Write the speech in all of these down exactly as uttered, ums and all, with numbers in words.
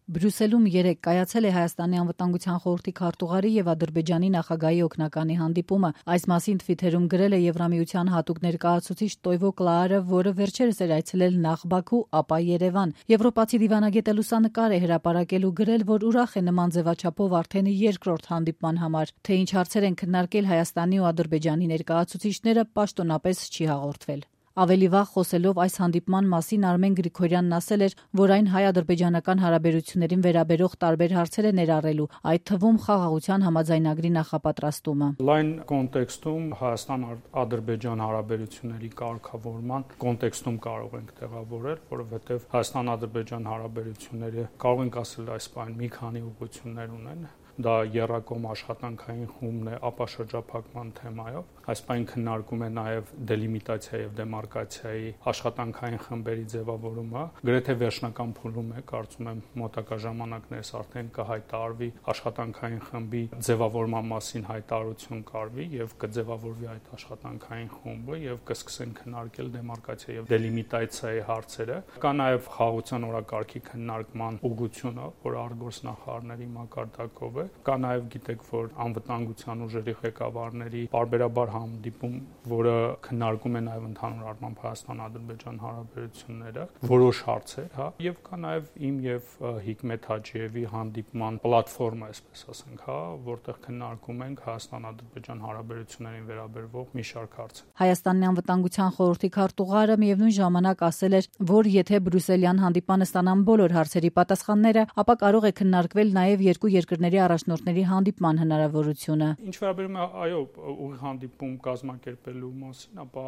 Բրյուսելում երեկ կայացել է Հայաստանի անվտանգության խորհրդի քարտուղարի եւ Ադրբեջանի նախագահի օգնականի հանդիպումը։ Այս մասին Թվիթերում գրել է Եվրամիության հատուկ ներկայացուցիչ Տոյվո Կլաարը, որը վերջերս էր այցելել նախ Բաքու, ապա Երևան։ Եվրոպացի դիվանագետը լուսանկար է հրապարակել ու գրել, որ ուրախ է նման ձևաչափով արդեն երկրորդ հանդիպման համար։ Թե ինչ հարցեր են քննարկել Հայաստանի ու Ադրբեջանի ներկայացուցիչները, պաշտոնապես չի հաղորդվել։ Ավելի վաղ խոսելով այս հանդիպման մասին Արմեն Գրիգորյանն ասել էր, որ այն հայ-ադրբեջանական հարաբերություններին վերաբերող տարբեր հարցեր է ներառելու, այդ թվում խաղաղության համաձայնագրի նախապատրաստումը։ Լայն կոնտեքստում Հայաստան-Ադրբեջան հարաբերությունների կարգավորման կոնտեքստում կարող ենք տեղավորել, որովհետև Հայաստան-Ադրբեջան հարաբերությունները կարող ենք ասել այս բան մի քանի ուղղություններ ունեն։ Դա եռակողմ աշխատանքային խումբն է ապա շրջափակման թեմայով։ Այս բան քննարկում է նաև դելիմիտացիա եւ դեմարկացիայի աշխատանքային խմբերի ձևավորումը։ Գրեթե վերջնական փուլում է, կարծում եմ մոտակա ժամանակներս արդեն կհայտարարվի աշխատանքային խմբի ձևավորման մասին հայտարարություն կարվի եւ կձևավորվի այդ աշխատանքային խումբը եւ կսկսեն քննարկել դեմարկացիա եւ դելիմիտացիայի հարցերը։ Կա նաև խաղաղության օրակարգի քննարկման ուղղությունը, որ արտգործնախարարների մակարդակով է։ Կա նաև գիտեք, որ անվտանգության ուժերի ղեկավարների պարբերաբար հանդիպում, որը քննարկում է նաև ընդհանուր առմամբ Հայաստան-Ադրբեջան հարաբերությունները, որոշ հարցեր, հա, եւ կա նաև իմ եւ Հիկմետ Հաջիևի հանդիպման պլատֆորմա, այսպես ասենք, հա, որտեղ քննարկում ենք Հայաստան-Ադրբեջան հարաբերություններին վերաբերող մի շարք հարցեր։ Հայաստանի անվտանգության խորհրդի քարտուղարը միևնույն ժամանակ ասել էր, որ եթե բրյուսելյան հանդիպանը ստանան բոլոր հարցերի պատասխանները, ապա կարող է քննարկվել նաև երկու երկրների առաջնորդների հանդիպման հնարավորությունը։ Ինչ վերաբերում է այո, ուղիղ հանդիպում կազմակերպելու մասին, ապա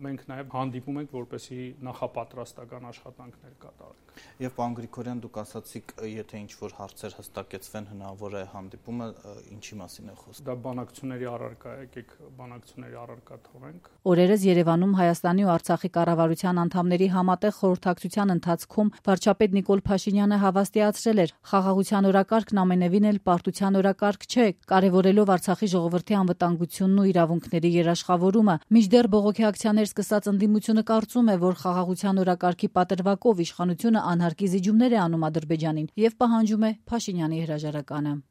մենք նաև հանդիպում ենք, որպեսզի նախապատրաստական աշխատանքներ կատարենք։ Եվ պարոն Գրիգորյան, դուք ասացիք, եթե ինչ-որ հարցեր հստակեցվեն, հնարավոր է հանդիպումը ինչի մասին է խոսքը։ Դա բանակցությունների առարկա է, եկեք բանակցությունների առարկա թողենք։ Օրերս Երևանում Հայաստանի ու Արցախի կառավարության անդամների համատեղ խորհրդակցության ընթացքում վարչապետ Նիկոլ Փաշինյանը հավաստիացրել էր, խաղաղության օրակարգն ամենևին էլ պարտության օրակարգ չէ, կարևորելով Արցախի ժողովրդի անվտանգությունն ու իրավունքների երաշխավորումը։ Մինչդեռ բողոքի ակցիաներ սկսած ընդդիմությունը կարծում է, որ խաղաղության օրակարգի պատրվակով իշխանությունը անհարկի զիջումներ է անում Ադրբեջանին եւ պահանջում է Փաշինյանի հրաժարականը։